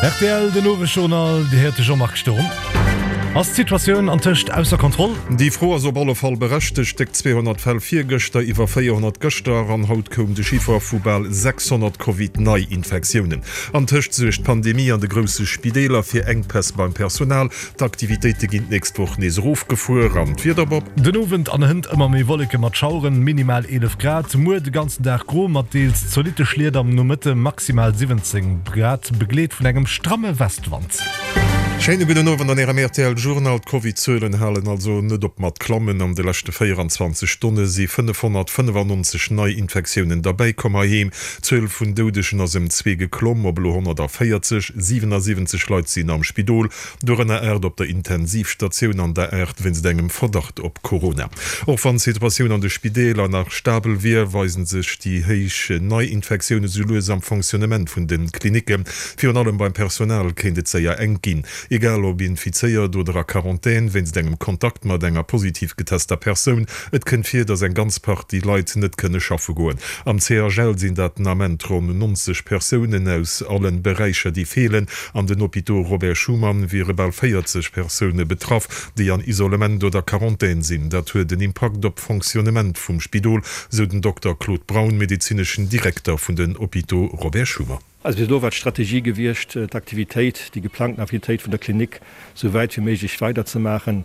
Rtl, Den Owesjournal, Dir héiert de Jean-Marc Sturm. Ass d'Situatioun antëscht ausser Kontroll? Déi Fro ass op alle Fall berechtegt. Déck 200 Fäll virgëschter, iwwer 400 gëschter an haut koum de Chiffer vu bal 600 Covid-Neiinfektiounen. Antëscht suergt d'Pandemie an de grousse Spideeler fir Enkpäss beim Personal. D'Aktivitéite ginn d'nächst Woch nees erofgefuer. An d'Wieder, Bob? Den Owend an hënt ëmmer méi Wolleke mat Schaueren, minimal 11 Grad. Muer de ganzen Dag gro mat deels zolitte Schliet, am Nomëtte maximal 17 Grad, begleet vun engem stramme Westwand. Schéine gudden Owend an Ärem rtl Journal. D'Covid-Zuelen halen also net op mat klammen. An de leschte 24 Stonne si 595 nei Infektiounen derbäikomm. Heiheem, d'Zuel vun Doudegen ass ëm zwee geklomm op elo 140. 77 Leit sinn am Spidol. Dorënner 8 op der Intensivstatioun an der 8 wéinst engem Verdacht op Corona. Och wann d'Situatioun an de Spideeler nach stabel wier, weisen sech déi héich Neiinfektioune sou lues am Fonctionnement vun de Klinicken. Virun allem beim Personal kéint et séier enk ginn. Egal ob infizéiert oder a Quarantän wéinst engem Kontakt mat enger positiv getester Persoun, et kënnt vir, datt eng ganz Partie Leit net kënne schaffe goen. Am CHL sinn dat den Ament ronn 90 Persounen aus allen Beräicher, déi feelen. An den Hôpitaux Robert Schuman wiere bal 40 Persoune betraff, déi an Isolement oder Quarantän sinn. Dat huet en Impakt op d'Fonctionnement vum Spidol, sou den Dokter Claude Braun, medezineschen Direkter vun den Hôpitaux Robert Schuman. Also bis elo war d'Strategie gewiescht, d'Aktivitéit, déi geplangten Aktivitéit vun der Klinik sou wäit wéi méiglech weiderzemaachen.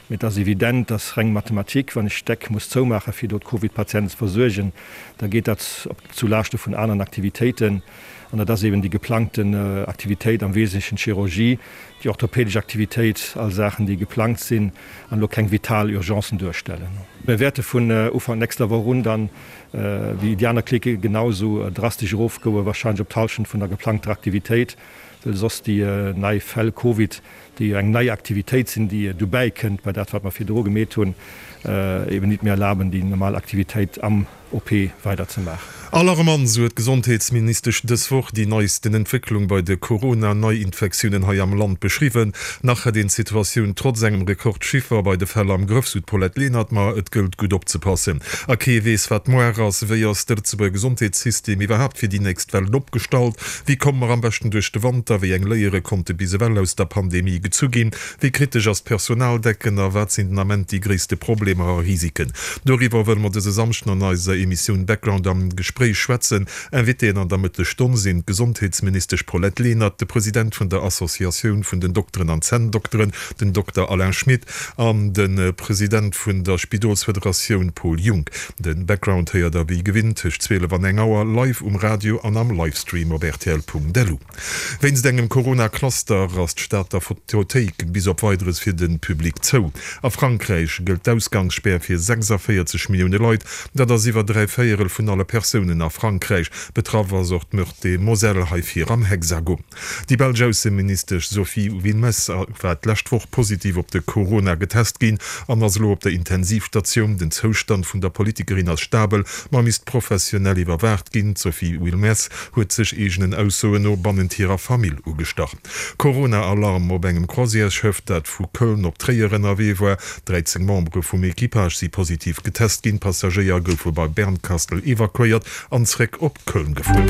Mee et ass evident, dass reng Mathematik, wann ech d'Deck muss zoumaachen, fir do d'Covid-Patienten ze versuergen, da geet dat op zu Laaschte vun aneren Aktivitéiten. An dat ass eben déi geplangten Aktivitéit, am Wesentlechen d'Chirurgie, déi orthopädesch Aktivitéit, all Saachen, déi geplangt sinn an elo keng vital Urgencen duerstellen. Mir wäerte vun Ufank nächster Woch un dann, wéi déi aner Klicke genau esou drastesch erofgoen, wahrscheinlech op d'Hallschent vun der geplangter Aktivitéit, well soss déi nei Fäll Covid, déi jo eng nei Aktivitéit sinn, déi dobäi kënnt bei dat, wat mer virdru gemeet hunn, eben nit méi erlaben, déi normal Aktivitéit am OP weider ze maachen. Alarmant, sou huet d'Gesondheetsministesch dës Woch déi neisten Entwécklung bei de Corona-Neiinfektiounen hei am Land beschriwwen. Nach hätt een d'Situatioun trotz engem Rekordchiffer bei de Fäll am Grëff, sou d'Paulette Lenert. Ma et gëllt gutt opzepassen. A kee weess, wat moar ass. Wéi ass de Lëtzebuerger Gesondheetssystem iwwerhaapt fir déi nächst Wellen opgestallt? Wéi komme mer am beschten duerch de Wanter? Wéi eng Léiere konnte bis ewell aus der Pandemie gezu ginn? Wéi kritesch ass d'Personaldecken a wat sinn den Ament déi gréisste Problemer a Risiken? Doriwwer wëlle mer dëse Samschden an eiser Emissioun Background am Gespréich schwätzen. Invitéen an der Mëttesstonn sinn d'Gesondheetsministesch Paulette Lenert, de President vun der Associatioun vun den Dokteren an Zänndokteren, den Dokter Alain Schmit, an de President vun der Spidolsfederatioun Paul Junck. De Background héiert der wéi gewinnt tëscht 12 an eng Auer live um Radio an am Livestream op rtl.lu. Wéinst engem Corona-Cluster ass d'Stater Fotothéik bis op Weideres fir de Public zou. A Frankräich gëllt d'Ausgangsspär fir 46 Millioune Leit, dat ass iwwer 3 Véierel vun alle Persounen a Frankräich. Betraff ass och d'Meurthe-et-Moselle, hei vir am Hexagon. Déi belsch Ausseministesch Sophie Wilmès war d'lescht Woch positiv op de Corona getest ginn an ass elo op der Intensivstatioun. Den Zoustand vun der Politikerin ass stabel, ma misst professionell iwwerwaacht ginn. D'Sophie Wilmès huet sech eegenen Aussoen no bannent hirer Famill ugestach. Corona-Alarm op engem Croisièresschëff, dat vu Köln op Tréier ënnerwee war. 13 Membere vum Equipage si positiv getest ginn. D'Passagéier goufe bei Bernkastel evakuéiert an zréck op Köln gefuer.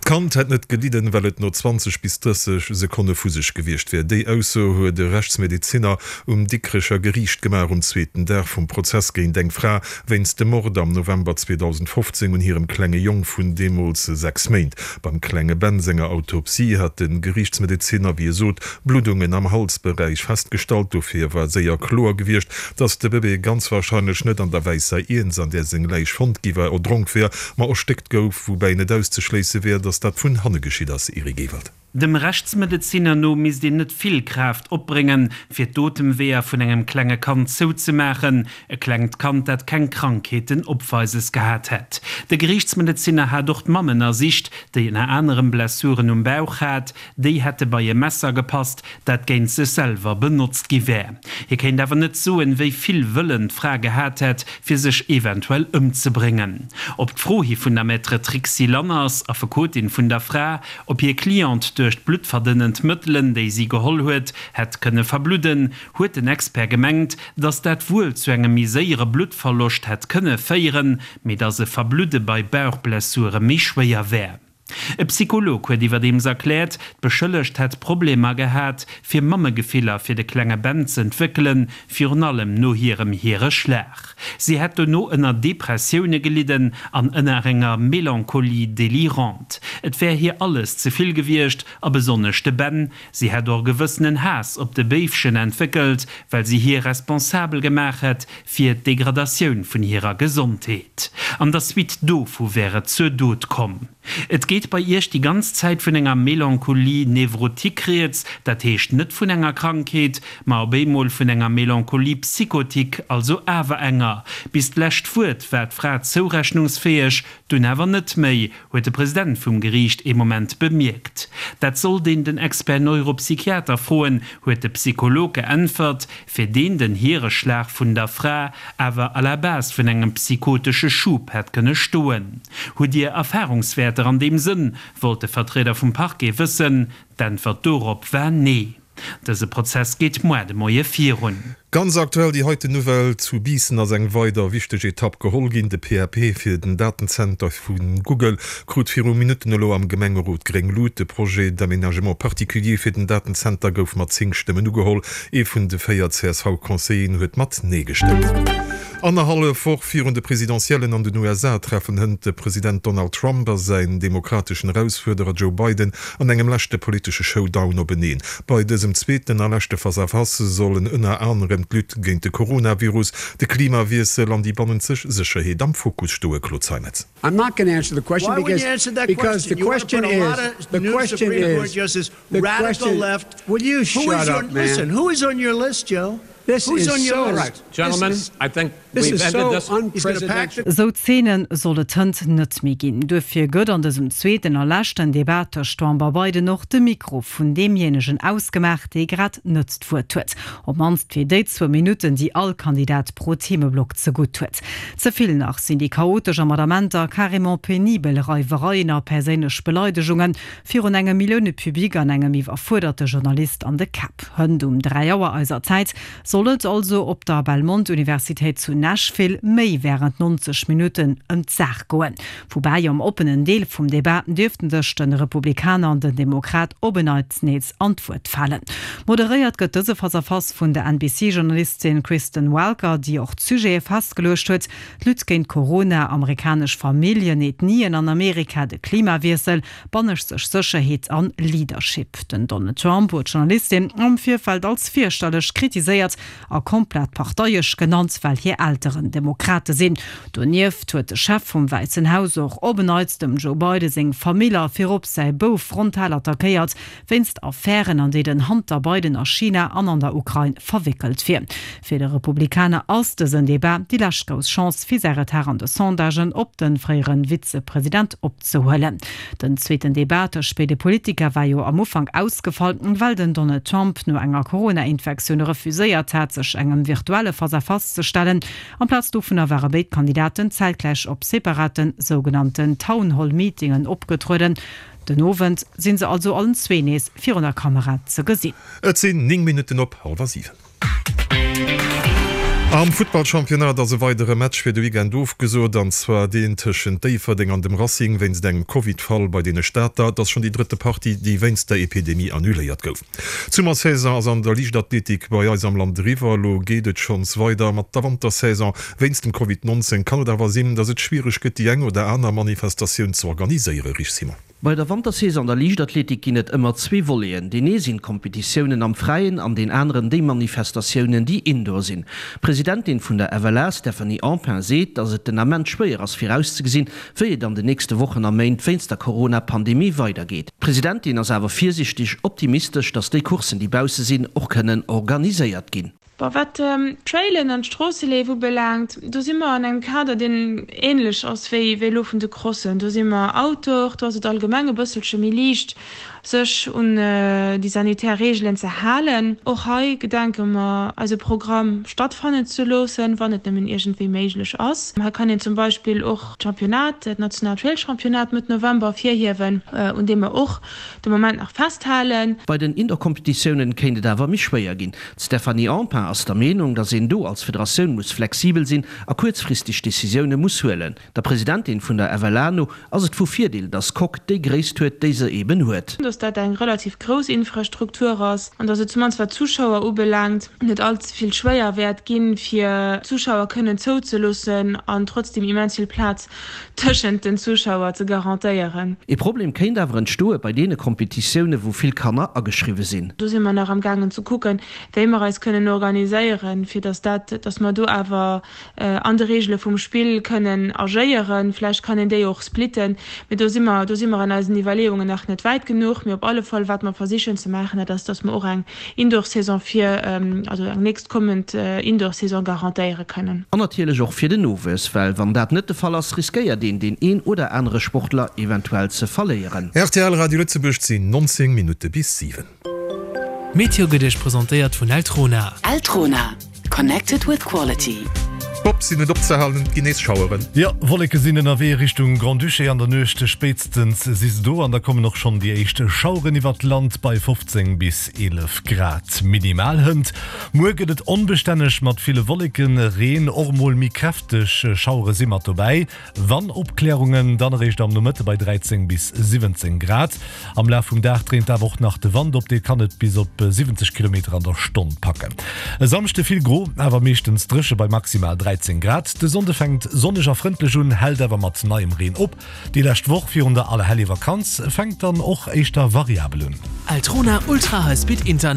D'Kand hätt net gelidden, well et no 20 bis 30 Sekonne vu sech gewiescht wär. Déi Ausso huet e Rechtsmedezinner um Dikrecher Geriicht gemaach um zweeten Dag vum Prozess géint eng Fra wéinst dem Mord am November 2015 un hirem klenge Jong vun deemools 6 Méint. Beim klenge Ben senger Autopsie hat de Geriichtsmedezinner, wéi e sot, Bluddungen am Halsberäich festgestallt. Dofir war séier kloer gewiescht, datt de Bëbee ganz warscheinlech net an der wäisser Iernz, an där seng Läich fonnt gi war, erdronk wär, ma erstéckt gouf, woubäi net auszeschléisse wär, datt dat vun hanne geschitt ass. Eric Ewald. Dem Rechtsmedezinner no misst een net vill Kraaft opbréngen, fir d'Otemweeër vun engem klenge Kand zouzemaachen. E klengt Kand, dat keng Krankheeten opweises gehat hätt. De Geriichtsmedezinner hat och d'Mamm ënnersicht, déi ënner anerem Blessuren um Bauch hat. Déi hätte bei e Messer gepasst, dat géint sech selwer benotzt gi wär. Hie kéint awer net soen, wéi vill Wëllen d'Fra gehat hätt, fir sech eventuell ëmzebréngen. Op d'Fro hi vun der Maître Trixi Lanners, Affekotin vun der Fra, ob hir Cliente duerch d'bluttverdënnend Mëttelen, déi si geholl huet, hätt kënne verbludden, huet den Expert gemengt, datt dat wuel zu engem méi séiere Bluttverloscht hätt kënne féieren, mee datt e Verbludde bei Bauchblessure méi schwéier wär. E Psycholog huet iwwerdeems erkläert, d'Beschëllegt hätt Problemer gehat, fir Mammegefiller fir de klenge Ben z'entwéckelen, virun allem no hirem Hiereschlag. Si hätt dono ënner Depressioune gelidden an ënner enger Mélancolie délirante. Et wär hir alles ze vill gewiescht a besonnesch de Ben. Si hätt och e gewëssenen Haass op de Béifchen entwéckelt, well si hie responsabel gemaach hätt fir d'Degradatioun vun hirer Gesondheet. An der Suite dovu wär et zur Dot komm. Et geet bei Iech déi ganz Zäit vun enger Mélancolie névrotique rieds, dat heescht net vun enger Krankheet, ma op eemol vun enger Mélancolie psychotique, also awer enger. Bis d'lescht Wuert war d'Fra zourechnungsfäeg, dunn awer net méi, huet de President vum Geriicht ee Moment bemierkt. Dat sollt een den Expert Neuropsychiater froen, huet de Psycholog geäntwert, fir deen den Hiereschlag vun der Fra awer à la base vun engem psychotesche Schub hätt kënne stoen. Hutt Dir Erfarungswäerter an deem Sënn? wollt de Vertrieder vum Parquet wëssen. D'Äntwert dorop war Nee. Dëse Prozess geet moar de Moie virun. Ganz aktuell déi heiten Nouvelle, Zu Biissen ass eng weider wichteg Etapp geholl ginn. De PAP fir den Datenzenter vu Google krut viru Minutten elo am Gemengerot gréng Lut. De Projet d'aménagement particulier fir den Datenzenter gouf mat 10 Stëmmen ugeholl. Ee vun de 4 CSV-Conseilleren huet mat Nee gestëmmt. Annerhallef Woch virun de Presidentiellen an den USA treffen hënt de President Donald Trump a säin demokrateschen Erausfuerderer Joe Biden an engem leschte politesche Showdown openeen. Bei dësem zweeten a leschte Face-à-face sollen ënner anerem d'Lutte géint de Coronavirus, de Klimawiessel an déi bannenzeg Sécherheet am Fokus stoe. Claude Zeimetz. I'm not going to answer the question because because the question is the question is the question will you shut up man who is on your list Joe this who's is on your so list Gentlemen, I think this we've is ended so this. unprecedented. Esou Zeene soll et hënt net méi ginn. Duerfir gëtt an dësem zweeten a leschten Debat tëscht Trump a Biden och de Mikro vun deemjéinegen ausgemaach, dee grad net d'Wuert huet. Op mannst fir déi zwou Minutten, déi all Kandidat pro Themeblock zegutt huet. Ze vill nach sinn déi chaotesch a mat Amenter carrément penibel Reiwereien a perséinlech Beleidegungen virun engem Milliounepublic an engem iwwerfuerderte Journalist an de Käpp. Hënt um 3 Auer eiser Zäit soll et also op der Belmont-Universitéit zu Nashville méi wärend 90 Minutten ëm d'Saach goen. Woubäi am oppenen Deel vum Debat dierften sech de Republikaner an den Demokrat op en Neits nees an d'Wuert falen. Moderéiert gëtt dëse Face-à-Face vun der NBC-Journalistin Kristen Welker, déi och d'Sujete festgeluecht huet, d'Lutte géint Corona, amerikanesch Familljen, Ethnien an Amerika, de Klimawiessel, banneschteg Sécherheet an Leadership. Den Donald Trump huet d'Journalistin am Virfeld als fierchterlech kritiséiert a komplett parteiesch genannt, well hir Elteren Demokrate sinn. Donieft huet de Chef vum Wäissen Haus och op en Neits dem Joe Biden seng Famill a virop säi Bouf frontal attackéiert, wéinst Affären, an déi den Hunter Biden a China an an der Ukrain verwéckelt wier. Fir de Republikaner ass dësen Debat déi lescht grouss Chance, fir säi Retard an de Sondagen op de fréiere Vizepresident opzehuelen. Den zweeten Debat tëscht béide Politiker war jo am Ufank ausgefall, well den Donald Trump no enger Corona-Infektioun refuséiert hat, sech engem virtuelle Face-à-face ze stellen. Amplaz dovunner ware béid Kandidaten zäitgläich op separaten sougenannten Town-Hall-Meetingen opgetrueden. Den Owend sinn se also allen zwee nees virun der Kamera ze gesinn. Et sinn 9 Minutten op hallwer 7. Am Futtballchampionnat ass e weidere Match fir de Weekend ofgesot, an zwar deen tëschent Déifferdeng an dem Racing wéinst engem Covid-Fall bei deene Stater. Et ass schonn déi drëtte Partie, déi wéinst der Epidemie annuléiert gouf. D'Summersaison ass an der Liichtathletik bei eis am Land eriwwer. Elo geet et schonns weider mat der Wantersaison. Wéinst dem Covid 19 kann et awer sinn, datt et schwiereg gëtt, déi eng oder aner Manifestatioun ze organiséieren. Rich Simon. Bei der Wantersaison an der Liichtathletik ginn et ëmmer zwee Voleten. Deen ee sinn d'Kompetitiounen am Fräien an deen aneren déi Manifestatiounen, déi indoor sinn. D'Presidentin vun der FLA, Stephanie Empain, seet, datt et den Ament schwéier ass virauszegesinn, wéi et an den nächste Wochen a Méint wéinst der Corona-Pandemie weidergeet. D'Presidentin ass awer virsiichteg optimistesch, datt déi Courssen, déi bausse sinn, och kënnen organiséiert ginn. Bon, wat d'Trailen an d'Stroosseleef ubelaangt, do si mer an engem Kader, deen ähnlech ass wéi elo vun de Crossen. Do si mer outdoor, do ass et allgemeng e bësselche méi liicht, sech un déi sanitär Reegelen ze halen. Och hei gedenke mer, eise Programm stattfannen ze loossen, wann et nëmmen iergendwéi méiglech ass. Hei kann een zum Beispill och d'Championnat, dat nationaalt Trailchampionnat Mëtt November ervirhiewen, un deem mer och de Moment nach festhalen. Bei den Indoor-Competitiounen kéint et awer méi schwéier ginn. D'Stéphanie Empain. ass der Meenung, datt een do als Federatioun muss flexibel sinn a kuerzfristeg Decisioune muss huelen. Der Presidentin vun der FLA no ass et vu Virdeel, datt d'Coque déi Gréisst huet, déi se eben huet. Datt dat eng relativ grouss Infrastruktur ass an datt et zumannst wat d'Zuschauer ubelaangt net all ze vill schwéier wäert ginn, fir Zuschauer kënnen zouzeloossen an trotzdeem immens vill Plaz tëschent den Zuschauer ze garantéieren. Ee Problem kéint awer entstoe bei deene Kompetitioune wou vill Kanner ageschriwwe sinn. Do si mer nach am gaangen ze kucken, wéi mer eis kënnen organiséieren, fir datt dat, datt mer do awer an de Reegele vum Spill kënnen agéieren. Vläicht kann een déi och splitten, mee do si mer, do si mer an eisen Iwwerleeungen nach net wäit genuch. Mee op alle Fall, wat mer versichen ze maachen, dat ass, datt mer och eng Indoor-Saison fir, also eng nächst kommend Indoor-Saison garantéiere kënnen. An natierlech och fir den Nowuess, well wann dat net de Fall ass, riskéiert een deen een oder anere Sportler eventuell ze verléieren. Rtl Radio Lëtzebuerg, 't sinn 19 Minutte bis 7. D'Meteo gëtt Iech presentéiert vun Eltrona. Eltrona, connected with quality. Bob sinn net opzehalen, et ginn nees Schaueren. Jo, Wolleke sinn ënnerwee Richtung Grand-Duché. An der Nuecht spéitstens si se do an da kommen och schonn déi éischt Schaueren iwwert d'Land bei 15 bis 11 Grad minimal. Hënt muer gëtt et onbestänneg mat ville Wolleken, Reen, och mol méi kräfteg Schauere si mat dobäi. Wann Opklärungen, dann eréischt am Nomëtte bei 13 bis 17 Grad. Am Laf vum Dag dréint awer och nach de Wand op, dee kann et bis op 70 Kilometer an der Stonn packen. E Samschde vill gro, awer meeschtens dréche bei maximal 13 Grad. De Sonnde fänkt sonneg a frëndlech un, hält awer mat neiem Reen op. Déi lescht Woch virun der Allerhellevakanz fänkt dann och éischter variabel un. Eltrona Ultra High Speed Internet.